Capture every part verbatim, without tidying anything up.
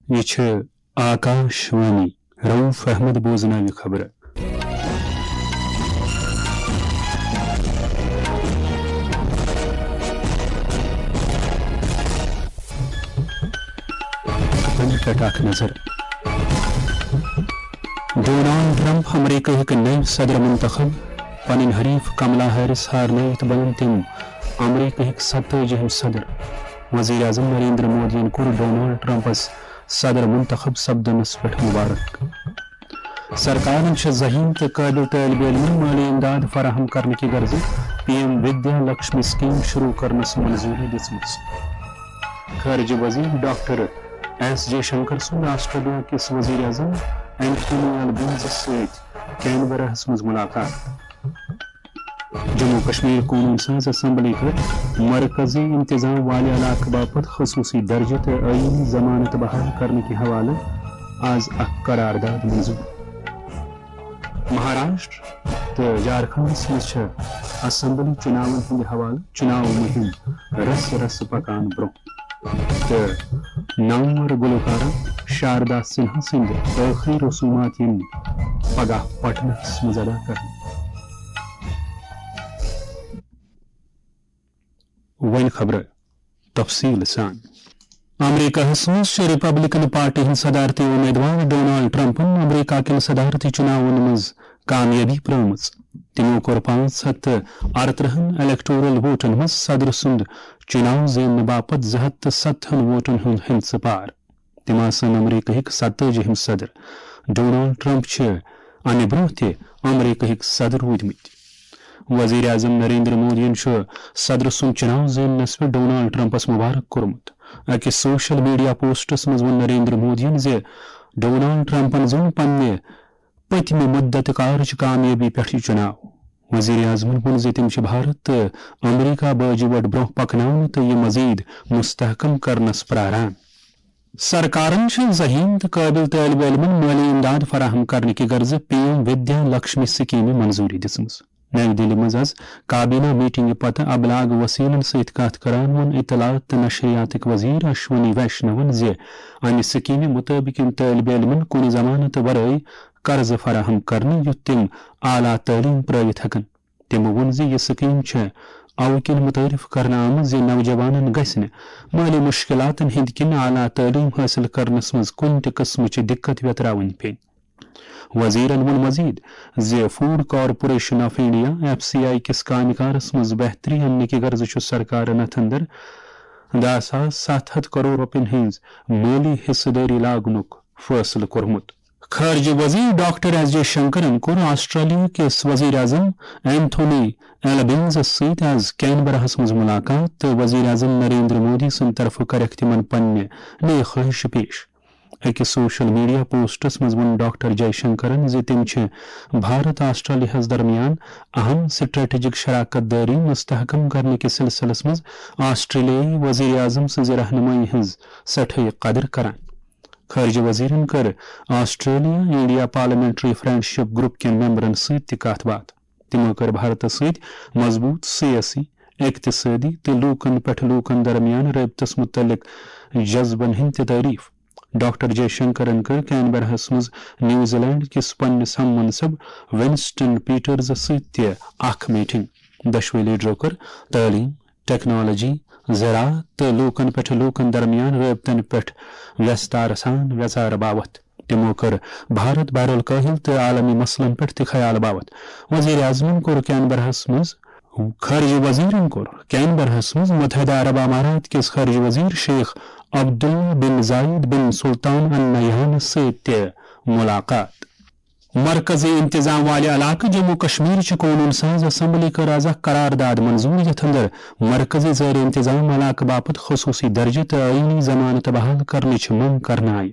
یہِ چھِ آکاش وانی۔ رؤف احمد بوزناوِ خبرٕ۔ خبرن پٮ۪ٹھ اکھ نظر۔ ڈونالڈ ٹرمپ، امریکہٕکۍ نٔوۍ صدر منتخب، پنٕنۍ حریف کملا ہیرس ہارنٲوِتھ بنن تِم امریکہٕکۍ ستٲجِہِم صدر۔ وزیر اعظم نریندر مودیَن کوٚر ڈونالڈ ٹرمپس صدر منتخب سپدنس پٮ۪ٹھ مبارک۔ سرکارن چھِ ذہین تہٕ قٲبل طٲلبہِ علمن مٲلی امداد فراہم کرنہٕ کہِ غرضہٕ پی ایم ودیا لکشمی سکیم شروع کرنس منظوری دِژمٕژ۔ خارجہ وزیر ڈاکٹر ایس جے شنکر سُنٛد آسٹریلیا کِس وزیر اعظم اینتھونی البنیزس سۭتۍ کینبراہس منٛز ملاقات۔ جموں کشمیر قونوٗن ساز اسمبلی کٔر مرکزی انتظام والہِ علاقہٕ باپتھ خصوٗصی درجہٕ تہٕ آئینی ضمانت بحال کرنہٕ کہِ حوالہٕ آز اکھ قرارداد منظور۔ مہاراشٹر تہٕ جھارکھنڈس منٛز چھےٚ اسمبلی چُناون ہٕنٛدِ حوالہٕ چُناو مُہِم رسہٕ رسہٕ پکان برٛونٛہہ۔ تہٕ نامور گلوکارہ شاردا سنہا سٕنٛدۍ ٲخری رسومات یِن پگاہ پٹنہس منٛز ادا کرنہٕ۔ وۄنۍ خبرٕ تفصیٖل سان۔ امریکہس منٛز چھُ ریپبلکن پارٹی ہٕنٛدۍ صدارتی امیدوار ڈونالڈ ٹرمپن امریکہ کٮ۪ن صدارتی چُناون منٛز کامیٲبی پرٲومٕژ۔ تِمو کوٚر پانٛژھ ہتھ تہٕ ارترٕہن الیکٹورل ووٹن منٛز صدر سُنٛد چُناو زیننہٕ باپتھ زٕ ہتھ تہٕ ستتھن ووٹن ہُنٛد ہندسہٕ پار۔ تِم آسن امریکہٕکۍ ستٲجِہِم صدر۔ ڈونالڈ ٹرمپ چھِ امہِ برٛونٛہہ تہِ امریکہٕکۍ صدر روٗدمٕتۍ۔ وزیر اعظم نریندر مودیَن چھُ صدر سُنٛد چُناو زیننس پٮ۪ٹھ ڈونالڈ ٹرمپس مبارک کوٚرمُت۔ أکِس سوشل میڈیا پوسٹس منٛز ووٚن نریندر مودیَن زِ ڈونالڈ ٹرمپن زیوٗن پننہِ پٔتمہِ مدت کارٕچ کامیٲبی پٮ۪ٹھ یہِ چُناو۔ وزیر اعظمن ووٚن زِ تِم چھِ بھارت تہٕ امریکہ باجہِ وٹ برٛونٛہہ پکناونہٕ تہٕ یہِ مزید مستحکم کرنس پراران۔ سرکارن چھِ ذہین تہٕ قٲبل طٲلبہِ علمن مٲلی امداد فراہم کرنہٕ کہِ غرضہٕ پی ایم ودیا لکشمی سکیمہِ منظوری دِژمٕژ۔ نَوِ دِلہِ منٛز آز کابینہ میٹنگہِ پتہٕ ابلاغ وسیلن سۭتۍ کتھ کران ووٚن اطلاعات تہٕ نشریاتٕکۍ وزیر اشونی ویشنون زِ امہِ سکیمہِ مُطٲبِق یِن طٲلبہِ علمن کُنہِ ضمانتہٕ ورٲے قرضہٕ فراہم کرنہٕ، یُتھ تِم اعلیٰ تعلیٖم پرٲوِتھ ہٮ۪کن۔ تِمو ووٚن زِ یہِ سکیٖم چھےٚ اَوٕ کِنۍ متعارف کرنہٕ آمٕژ زِ نوجوانن گژھِ نہٕ مٲلی مُشکِلاتن ہٕنٛدۍ کِنۍ اعلیٰ تعلیٖم حٲصِل کرنس منٛز کُنہِ تہِ قٕسمٕچ دِقت ویتراوٕنۍ پیٚنۍ۔ وزیرن ووٚن مزید زِ food corporation of India, F C I, کِس کامہِ کارس منٛز بہتری اننہٕ کہِ غرضہٕ چھُ سرکارن اتھ اندر دَہ ساس ستھ ہتھ کرور رۄپین ہٕنٛز مٲلی حصہٕ دٲری لاگنُک فٲصلہٕ کوٚرمُت۔ خارجہ وزیر ڈاکٹر ایس جے شنکرن کوٚر آسٹریلیا کِس وزیر اعظم اینتھونی البنیزس سۭتۍ آز کینبراہس منٛز ملاقات تہٕ وزیر اعظم نریندر مودی سٕنٛدِ طرفہٕ کٔرٕکھ تِمن پننہِ نیک خواہشہٕ پیش۔ أکِس سوشل میڈیا پوسٹس منٛز ووٚن ڈاکٹر جے شنکرن زِ تِم چھِ بھارت آسٹریلیاہس درمیان اہم سٹریٹجک شراکت دٲری مستحکم کرنہٕ کِس سلسلس منٛز آسٹریلیٲیی وزیر اعظم سٕنٛزِ رہنمٲیی ہٕنٛز سٮ۪ٹھاے قدر کران۔ خارجہ وزیرن کٔر Australia India parliamentary friendship group کٮ۪ن ممبرن سۭتۍ تہِ کتھ باتھ۔ تِمو کٔر بھارتس سۭتۍ مضبوٗط سیٲسی، اقتصٲدی تہٕ لوٗکن پٮ۪ٹھ لوٗکن درمیان رٲبطس مُتعلق جذبن ہٕنٛز تہِ تعریف۔ ڈاکٹر جے شنکرن کٔر کینبراہس منٛز نیوزی لینڈ کِس پننِس ہم منصب ونسٹن پیٹرز سۭتۍ تہِ اکھ میٹنگ۔ دۄشوے لیڈرو کٔر تعلیم، ٹیکنالوجی، زراعت تہٕ لوٗکن پٮ۪ٹھ لوٗکن درمیان رٲبطن پٮ۪ٹھ ویستار سان ویژار باوتھ۔ تِمو کٔر بھارت بحر الکاہل تہٕ عالمی مسلن پٮ۪ٹھ تہِ خیال باوتھ۔ وزیر اعظمن کوٚر کینبراہس منٛز، خارجہ وزیرن کوٚر کینبراہس منٛز متحدہ عرب امارات کِس خارجہ وزیر شیخ عبداللہ بن زاید بن سلطان النہیانس سۭتۍ تہِ ملاقات۔ مرکزی انتظام والہِ علاقہٕ جموں کشمیر چہِ قونوٗن ساز اسمبلی کٔر آز اکھ قرارداد منظور، یتھ اندر مرکزی زیر انتظام علاقہٕ باپتھ خصوٗصی درجہٕ تہٕ آئینی ضمانت بحال کرنٕچ منگ کرنہٕ آیہِ۔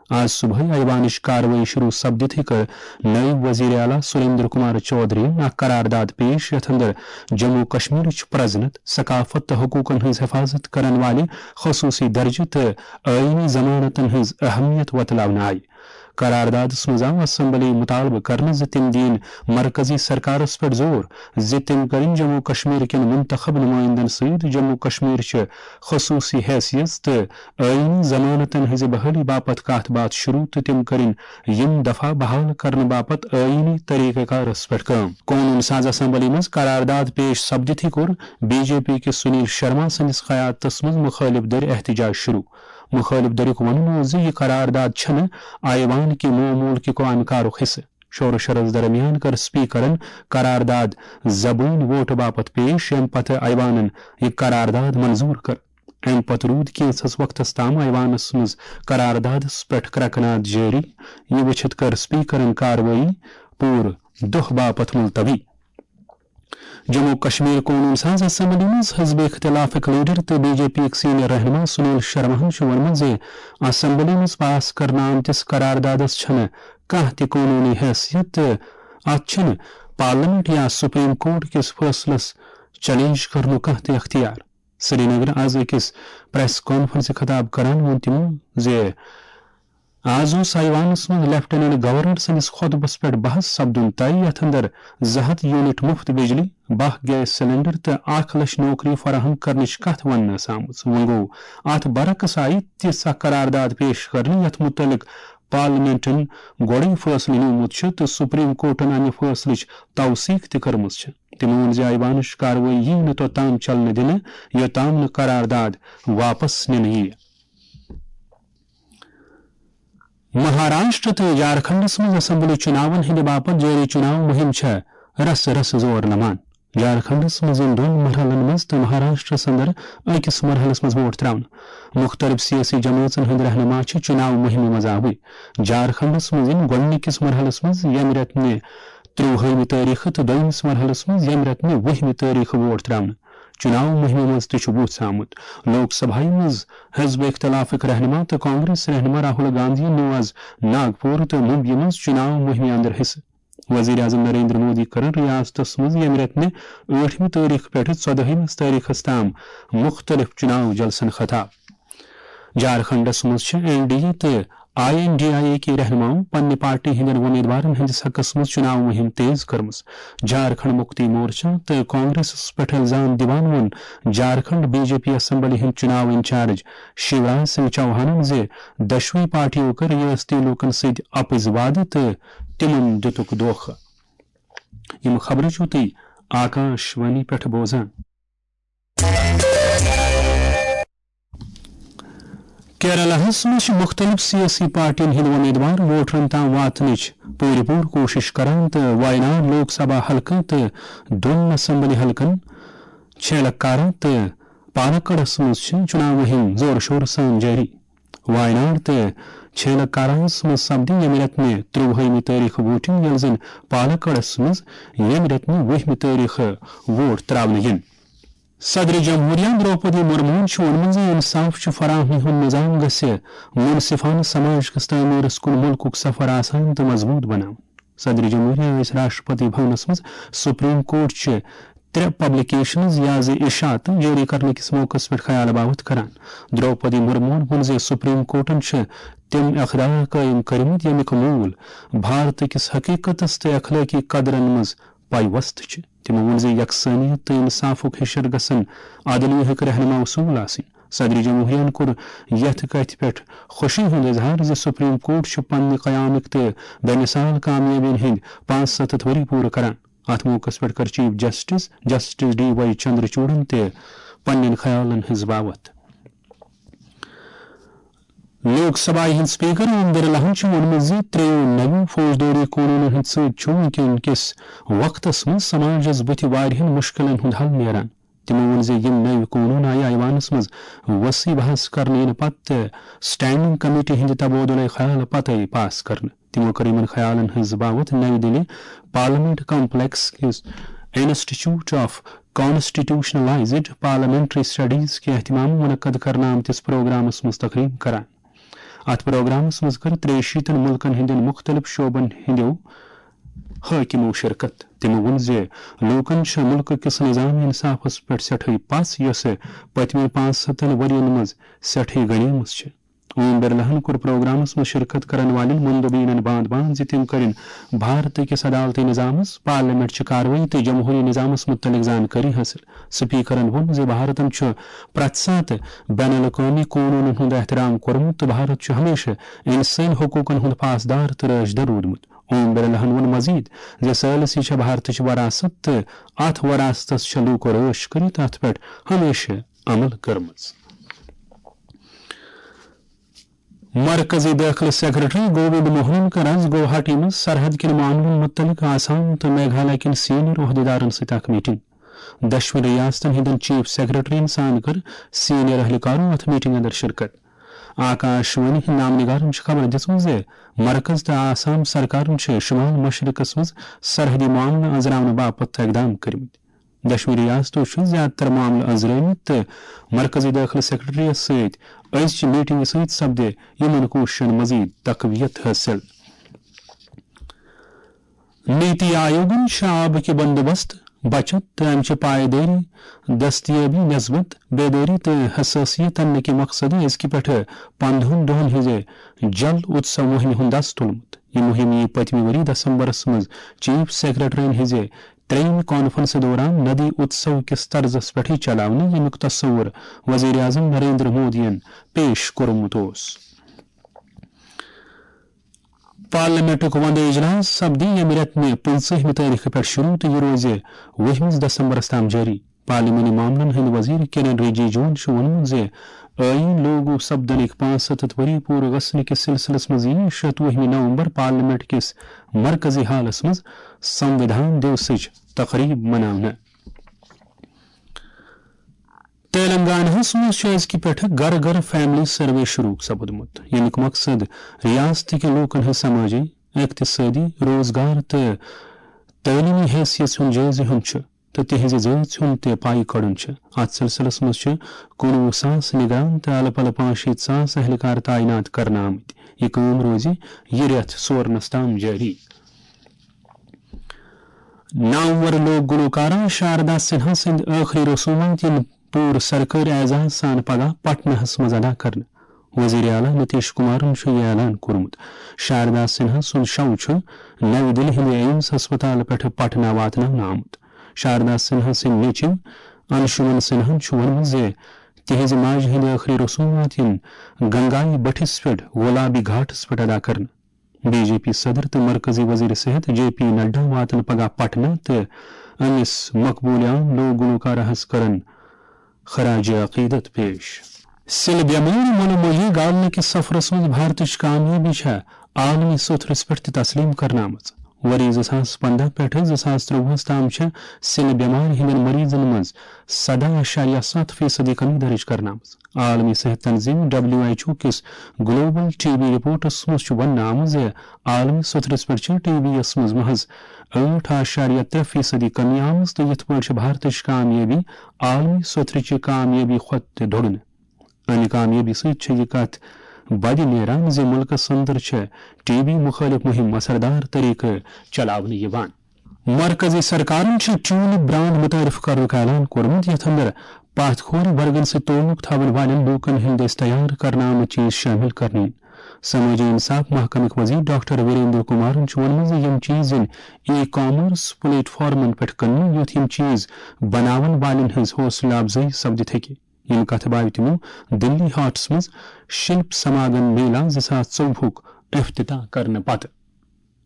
آز صبحٲے ایوانٕچ کاروٲیی شروع سپدِتھٕے کٔر نٲیِب وزیر اعلیٰ سریندر کمار چودھرین اکھ قرارداد پیش، یتھ اندر جموں کشمیرٕچ پرزنت، ثقافت تہٕ حقوٗقن ہٕنٛز حفاظت کرن والہِ خصوٗصی درجہٕ تہٕ آئینی ضمانتن ہٕنٛز اہمیت وۄتلاونہٕ آیہِ۔ قراردادس منٛز آو اسمبلی مطالبہٕ کرنہٕ زِ تِم دِیِن مرکزی سرکارس پٮ۪ٹھ زور زِ تِم کرن جموں کشمیر کٮ۪ن منتخب نمائندن سۭتۍ جموں کشمیر چہِ خصوصی حیثیت تہٕ آئینی ضمانتن ہٕنٛزِ بحالی باپتھ کتھ باتھ شروع تہٕ تِم کرن یِم دفعہ بحال کرنہٕ باپتھ آئینی طریقہ کارس پٮ۪ٹھ کٲم۔ قونوٗن ساز اسمبلی منٛز قرارداد پیش سپدِتھٕے کوٚر بی جے پی کِس سنیل شرما سٕنٛدِس قیادتس منٛز مُخٲلِف دٔرۍ احتجاج شروع۔ مُخٲلِف دٔریُک وَنُن اوس زِ یہِ قرارداد چھَنہٕ آیوان کہِ معمول کہِ قومی کارُک حصہٕ۔ شور و شرس درمیان کٔر سپیکرن قرارداد زبٲنۍ ووٹہٕ باپتھ پیش، ییٚمہِ پتہٕ ایوانن یہِ قرارداد منظور کٔر۔ امہِ پتہٕ روٗد کینٛژھس وقتس تام ایوانس منٛز قراردادس پٮ۪ٹھ کرٛکہٕ ناد جٲری۔ یہِ وٕچھِتھ کٔر سپیکرن کاروٲیی پوٗرٕ دۄہ باپتھ ملتوی۔ جموں و کشمیر قونوٗن ساز اسمبلی منٛز حزب اختلافٕکۍ لیڈر تہٕ بی جے پی یِکۍ سینئر رہنما سنیل شرماہن چھُ ووٚنمُت زِ اسمبلی منٛز پاس کرنہٕ آمتِس قراردادس چھنہٕ کانٛہہ تہِ قونوٗنی حیثیت تہٕ اتھ چھُنہٕ پارلیمنٹ یا سپریم کورٹ کِس فٲصلس چیلنج کرنُک کانٛہہ تہِ اختیار۔ سرینگر آز أکِس پریس کانفرنسہِ خطاب کران ووٚن تِمو زِ آز اوس ایوانس منٛز لیفٹیننٹ گورنر سٕنٛدِس خطبس پٮ۪ٹھ بحث سپدُن طے، یتھ اندر زٕ ہتھ یونٹ مفت بجلی، باہ گیس سلنڈر تہٕ اکھ لچھ نوکری فراہم کرنٕچ کتھ وننہٕ ٲس آمٕژ۔ وۄنۍ گوٚو، اتھ برعکس آیہِ تِژھ اکھ قرارداد پیش کرنہٕ یتھ متعلق پارلیمنٹن گۄڈے فٲصلہٕ نیومُت چھُ تہٕ سپریم کورٹن امہِ فٲصلٕچ توثیق تہِ کٔرمٕژ چھِ۔ تِمو ووٚن زِ ایوانٕچ کاروٲیی یِیہِ نہٕ توٚتام چلنہٕ دِنہٕ، یوٚتام نہٕ قرارداد واپس نِنہٕ یِیہِ۔ مہاراشٹر تہٕ جھارکھنڈس منٛز اسمبلی چُناون ہٕنٛدِ باپتھ جٲری چُناو مُہِم چھےٚ رسہٕ رسہٕ زور نمان۔ جھارکھنڈس منٛز یِن دۄن مرحلن منٛز تہٕ مہاراشٹرس اندر أکِس مرحلس منٛز ووٹ تراونہٕ۔ مُختٔلِف سیٲسی جمٲژن ہٕنٛدۍ رہنما چھِ چُناو مُہِمہِ منٛز آوٕرۍ۔ جھارکھنڈس منٛز یِن گۄڈٕنِکِس مرحلس منٛز ییٚمہِ رٮ۪تہٕ نہِ ترٛۆوُہمہِ تٲریخہٕ تہٕ دوٚیمِس مرحلس منٛز ییٚمہِ رٮ۪تہٕ نہِ وُہمہِ تٲریخہٕ ووٹ تراونہٕ۔ چُناو مُہِمہِ منٛز تہِ چھُ وُژھ آمُت۔ لوک سبھایہ منٛز حزب اختلافٕکۍ رہنما تہٕ کانگریس رہنما راہل گاندھیَن نیوٗ آز ناگپور تہٕ ممبیہِ منٛز چُناو مُہِمہِ اندر حصہٕ۔ وزیر اعظم نریندر مودی کٔرٕن ریاستس منٛز ییٚمہِ رٮ۪تہٕ نہِ ٲٹھمہِ تٲریخہٕ پٮ۪ٹھٕ ژۄدٲہمِس تٲریخس تام مُختٔلِف چُناو جلسن خطاب۔ جھارکھنڈس منٛز چھِ این ڈی اے تہٕ I N D I A کہِ رہنماؤں پننہِ پارٹی ہٕنٛدٮ۪ن وۄمیدوارن ہٕنٛدِس حقس منٛز چُناو مُہِم تیز کٔرمٕژ۔ جھارکھنڈ مُکتی مورچہ تہٕ کانگریسس پٮ۪ٹھ الزام دِوان ووٚن Jharkhand B J P assembly ہٕنٛدۍ چُناو انچارج شیوراج سنگھ چوہانن زِ دۄشوٕے پارٹیو کٔر ریاستی لوٗکن سۭتۍ اپٕزۍ وعدٕ تہٕ تِمن دِتُکھ دھوکہٕ۔ یِم خبرٕ چھِو تُہۍ آکاش وانی پٮ۪ٹھ بوزان۔ کیرالہس منٛز چھِ مُختٔلِف سیٲسی پارٹین ہٕنٛدۍ وۄمیدوار ووٹرن تام واتنٕچ پوٗرٕ پوٗرٕ کوٗشِش کران تہٕ وایناڈ لوک سبھا حلقہٕ تہٕ دۄن اسمبلی حلقن چھیلکارا تہٕ پالکڑس منٛز چھِ چُناو مُہِم زورٕ شورٕ سان جٲری۔ وایناڈ تہٕ چھیلکاراہس منٛز سپدِ ییٚمہِ رٮ۪تہٕ نہِ ترٛۆوُہمہِ تٲریخہٕ ووٹنگ، ییٚلہِ زن پالکڑس منٛز ییٚمہِ رٮ۪تہٕ نہِ وُہمہِ تٲریخہٕ ووٹ تراونہٕ یِن۔ صدر جمہوریہ درٛوپدی مرموہن چھُ ووٚنمُت زِ انصاف چھُ فراہمی ہُنٛد نظام گژھِ منصفانہٕ سماج کِس تعمیٖرس کُن مُلکُک سفر آسان تہٕ مضبوٗط بناوُن۔ صدر جمہوریہ ٲسۍ راشٹرپتی بھونس منٛز سپریم کورٹ چہِ ترٛےٚ پبلیکیشنز یا زِ اشاعتہٕ جٲری کرنہٕ کِس موقعس پٮ۪ٹھ خیال باوتھ کران۔ درٛوپدی مرموہن ووٚن زِ سپریم کورٹن چھِ تِم اقدار قٲیِم کٔرمٕتۍ، ییٚمیُک موٗل بھارتہٕ کِس حقیقتس تہٕ اخلٲقی قدرن منٛز پیوست چھِ۔ تِمو ووٚن زِ یکسانیت تہٕ انصافُک ہِشر گژھن عدلیہٕک رہنما اصوٗل آسٕنۍ۔ صدر جمہوریہن کوٚر یتھ کتھِ پٮ۪ٹھ خوشی ہُنٛد اظہار زِ سپریم کورٹ چھُ پننہِ قیامٕکۍ تہٕ بے مثال کامیٲبین ہٕنٛدۍ پانٛژھ ستتھ ؤری پوٗرٕ کران۔ اتھ موقعس پٮ۪ٹھ کٔر chief justice, justice D Y چندرچوڑن تہِ پننٮ۪ن خیالن ہٕنٛز باوتھ۔ لوک سبھایہ ہٕنٛدۍ سپیکر اوم برلاہن چھُ ووٚنمُت زِ ترٛیٚیو نویو فوجدٲری قونوٗنن ہٕنٛدۍ سۭتۍ چھُ وُنکٮ۪ن کِس وقتس منٛز سماجس بُتھِ واریاہن مُشکِلن ہُنٛد حل نیران۔ تِمو ووٚن زِ یِم نٔوۍ قونوٗن آیہِ ایوانس منٛز وسیع بحث کرنہٕ یِنہٕ پتہٕ تہٕ سٹینڈنگ کمیٹی ہٕنٛدِ تبادلہٕ خیال پتے پاس کرنہٕ۔ تِمو کٔر یِمن خیالن ہٕنٛز باوتھ نَوِ دِلہِ پارلیمنٹ کمپلیکس کِس انسٹیٹیوٹ آف کانسٹیٹیوشنلائزڈ پارلیمنٹری سٹڈیز کہِ اہتمام منعقد کرنہٕ آمتِس پروگرامس منٛز تقریب کران۔ اتھ پروگرامس منٛز کٔر ترٛیہِ شیٖتن مُلکن ہٕنٛدٮ۪ن مُختٔلِف شعبن ہٕنٛدٮ۪و حٲکِمو شرکت۔ تِمو ووٚن زِ لوٗکن چھِ مُلکہٕ کِس نظام انصافس پٮ۪ٹھ سٮ۪ٹھٕے پژھ، یۄسہٕ پٔتمٮ۪ن پانٛژھ ہتن ؤرین منٛز سٮ۪ٹھٕے گنیمٕژ چھِ۔ اوم برلاہن کوٚر پروگرامس منٛز شرکت کرن والٮ۪ن مندوبینن باند باند زِ تِم کٔرِن بھارت کِس عدالتی نظامس، پارلیمنٹ چہِ کاروٲیی تہٕ جمہوری نظامس مُتعلق زانکٲری حٲصِل۔ سپیکرن ووٚن زِ بھارتن چھُ پرٛٮ۪تھ ساتہٕ بین الاقوٲمی قونوٗنن ہُنٛد احترام کوٚرمُت تہٕ بھارت چھُ ہمیشہٕ انسٲنی حقوٗقن ہُنٛد پاسدار تہٕ رٲچھدر روٗدمُت۔ اوم برلاہن ووٚن مزید زِ ثالثی چھےٚ بھارتٕچ وراثت تہٕ اتھ وراثتس چھےٚ لوٗکو رٲچھ کٔرِتھ اتھ پٮ۪ٹھ ہمیشہٕ عمل کٔرمٕژ۔ مرکزی دٲخلہٕ سیکرٹری گووند موہنن کٔر آز گوہاٹی منٛز سرحد کٮ۪ن معاملن متعلق آسام تہٕ میگھالیہ کٮ۪ن سینئر عہدیدارن سۭتۍ اکھ میٹنگ۔ دۄشوٕنی ریاستن ہٕنٛدٮ۪ن چیف سیکرٹرین سان کٔر سینئر اہلکارو اتھ میٹنگ اندر شرکت۔ آکاش وانی ہٕنٛدۍ نامہ نگارن چھِ خبر دِژمٕژ زِ مرکز تہٕ آسام سرکارن چھِ شمال مشرقس منٛز سرحدی معاملہٕ أنٛزراونہٕ باپتھ اقدام کٔرمٕتۍ۔ دۄشوٕنی ریاستو چھِ زیادٕ تر معاملہٕ أنٛزرٲومٕتۍ تہٕ مرکزی دٲخلہٕ سیکرٹریس سۭتۍ أزچہِ میٹنگہِ سۭتۍ سپدِ یِمن کوٗششن مزید تقویت حٲصِل۔ نیتی آیوگن چھِ آبہٕ کہِ بندوبست، بچت تہٕ امہِ چہِ پائیدٲری، دستیابی نسبت بیدٲری تہٕ حساسیت اننہٕ کہِ مقصدٕ أزکہِ پٮ۪ٹھٕ پندہن دۄہن ہٕنٛزِ جل اتسو مُہمہِ ہُنٛد دس تُلمُت۔ یہِ مُہِم یِیہِ پٔتمہِ ؤری دسمبرس منٛز چیف سیکرٹرین ہٕنٛزِ ترٛیٚیِمہِ کانفرنسہِ دوران ندی اتسو کِس طرزس پٮ۪ٹھٕے چلاونہٕ، ییٚمیُک تصور وزیر اعظم نریندر مودیَن پیش کوٚرمُت اوس۔ پارلیمنٹُک وندٕ اجلاس سپدِ ییٚمہِ رٮ۪تہٕ پٕنٛژٕہمہِ تٲریخہٕ پٮ۪ٹھ شروع تہٕ یہِ روزِ وُہمِس دسمبرس تام جٲری۔ پارلیمانی معاملن ہٕنٛدۍ وزیر کِرن رِجیجوَن چھُ ووٚنمُت زِ ٲییٖن لاگو سپدنٕکۍ پانٛژھ ہَتھ ؤری پوٗرٕ گژھنہٕ کِس سلسلس منٛز یِیہِ شتوُہمہِ نومبر پارلیمنٹ کِس مرکزی ہالس منٛز سموِدھان دیوسٕچ تقریب مناونہٕ۔ تیلنگاناہس منٛز چھُ أزکہِ پٮ۪ٹھٕ گرٕ گرٕ فیملی سروے شروع سپُدمُت، ییٚمیُک مقصد ریاستٕکۍ لوٗکن ہٕنٛز سمٲجی، اقتصٲدی، روزگار تہٕ تعلیمی حیثیت ہُنٛد جٲیزٕ ہیوٚن چھُ تہٕ تِہنٛزِ زٲژ ہُنٛد تہِ پاے کڑُن چھُ۔ اتھ سلسلس منٛز چھِ کُنوُہ ساس نگران تہٕ الہٕ پلہٕ پانٛژھ شیٖتھ ساس اہلکار تعینات کرنہٕ آمٕتۍ۔ یہِ کٲم روزِ یہِ رٮ۪تھ سورنس تام جٲری۔ نامور لوک گلوکارہ شاردا سنہا سٕنٛدۍ ٲخری رسومات یِن پوٗرٕ سرکٲرۍ اعزاز سان پگاہ پٹنہس منٛز ادا کرنہٕ۔ وزیر اعلیٰ نتیش کمارن چھُ یہِ اعلان کوٚرمُت۔ شاردا سنہا سُنٛد شو چھُ نَوِ دِلہِ ہٕنٛدِ ایمس ہسپتال پٮ۪ٹھٕ پٹنہ واتناونہٕ آمُت۔ شاردا سنہا سٕنٛدۍ نیٚچِو انشومن سنہاہن چھُ ووٚنمُت زِ تِہنٛزِ ماجہِ ہٕنٛدۍ ٲخری رسومات یِن گنگایہِ بٔٹھِس پٮ۪ٹھ گولابی گھاٹس پٮ۪ٹھ ادا کرنہٕ۔ بی جے پی صدر تہٕ مرکزی وزیر صحت جے پی نڈا واتن پگاہ پٹنہ تہٕ أمِس مقبولیان لوک گلوکارہس کرن خراج عقیدت پیش۔ سِلہٕ بٮ۪مٲرۍ مۄلہٕ مۄہیہِ گالنہٕ کِس سفرس منٛز بھارتٕچ کامیٲبی چھےٚ عالمی سوٚتھرس پٮ۪ٹھ تہِ تسلیم کرنہٕ آمٕژ۔ ؤری زٕ ساس پنٛداہ پٮ۪ٹھٕ زٕ ساس ترٛۆوُہس تام چھےٚ سِلہٕ بٮ۪مارِ ہٕنٛدٮ۪ن مریضن منٛز سداہ اعشاریہ ستھ فیصدی کمی درج کرنہٕ آمٕژ۔ عالمی صحت تنظیم، ڈبلیو ایچ او کِس گلوبل ٹی بی رپورٹس منٛز چھُ وننہٕ آمُت زِ عالمی سطحس پٮ۪ٹھ چھِ ٹی بی یس منٛز محض ٲٹھ اعشاریہ ترٛےٚ فیصدی کمی آمٕژ تہٕ یِتھ پٲٹھۍ چھِ بھارتٕچ کامیٲبی عالمی سطحٕچہِ کامیٲبی کھۄتہٕ تہِ دۄگنہٕ۔ امہِ کامیٲبی سۭتۍ چھِ یہِ کتھ بدِ نیران زِ مُلکس اندر چھِ ٹی بی مُخٲلف مُہِم اثردار طریقہٕ چلاونہٕ یِوان۔ مرکزی سرکارن چھِ ٹیولپ برانڈ متعارف کرنُک اعلان کوٚرمُت، یتھ اندر پتھ کھورِ ورگن سۭتۍ تعلق تھاون والٮ۪ن لوٗکن ہٕنٛدۍ دٔسۍ تیار کرنہٕ آمٕتۍ چیز شٲمِل کرنہٕ یِن۔ سمٲجی انصاف محکمٕکۍ وزیر ڈاکٹر ویریندر کمارن چھُ ووٚنمُت زِ یِم چیز یِن ای کامرس پلیٹ فارمن پٮ۪ٹھ کٕننہٕ، یُتھ یِم چیز بناون والٮ۪ن ہٕنٛز حوصلہٕ افزٲیی سپدِتھ ہیٚکہِ۔ یِم کتھٕ باوِ تِمو دِلی ہاٹس منٛز شِلپ سماگم میلہ زٕ ساس ژوٚوُہُک افتتاح کرنہٕ پتہٕ۔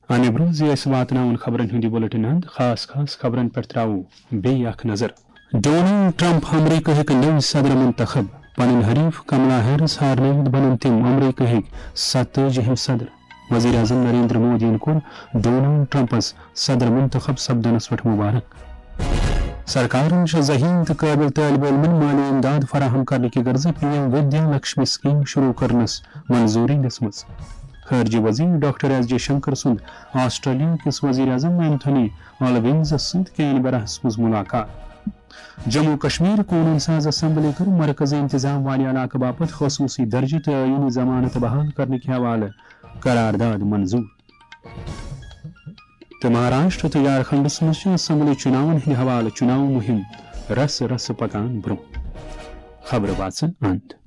امہِ برٛونٛہہ زِ أسۍ واتناوون خبرن ہُنٛد یہِ بُلٹن انٛد، خاص خاص خبرن پٮ۪ٹھ ترٛاوو بیٚیہِ اکھ نظر۔ ڈونلڈ ٹرمپ، امریکہٕکۍ نٔوۍ صدر منتخب، پنٕنۍ حریف کملا ہیرس ہارنٲوِتھ بنن تِم امریکہٕکۍ ستٲجِہِم صدر۔ وزیر اعظم نریندر مودیَن کوٚر ڈونلڈ ٹرمپس صدر منتخب سپدنس پٮ۪ٹھ مبارک۔ سرکارن چھِ ذہین تہٕ قٲبل طٲلب علمن مٲلی امداد فراہم کرنہٕ کہِ غرضہٕ پی ایم ودیا لکشمی سکیم شروع کرنس منظوری دِژمٕژ۔ خارجہ وزیر ڈاکٹر ایس جے شنکر سُنٛد آسٹریلیا کِس وزیر اعظم اینتھونی البنیزس سۭتۍ کینبراہس منٛز ملاقات۔ جموں کشمیر قونوٗن ساز اسمبلی کٔر مرکزی انتظام والہِ علاقہٕ باپتھ خصوٗصی درجہٕ تہٕ آئینی ضمانت بحال کرنہٕ کہِ حوالہٕ قرارداد منظور۔ تہٕ مہاراشٹر تہٕ جھارکھنڈس منٛز چھِ اسمبلی چُناون ہٕنٛدِ حوالہٕ چُناو مُہِم رسہٕ رسہٕ پکان برٛونٛہہ۔ خبرٕ واژٕ اند۔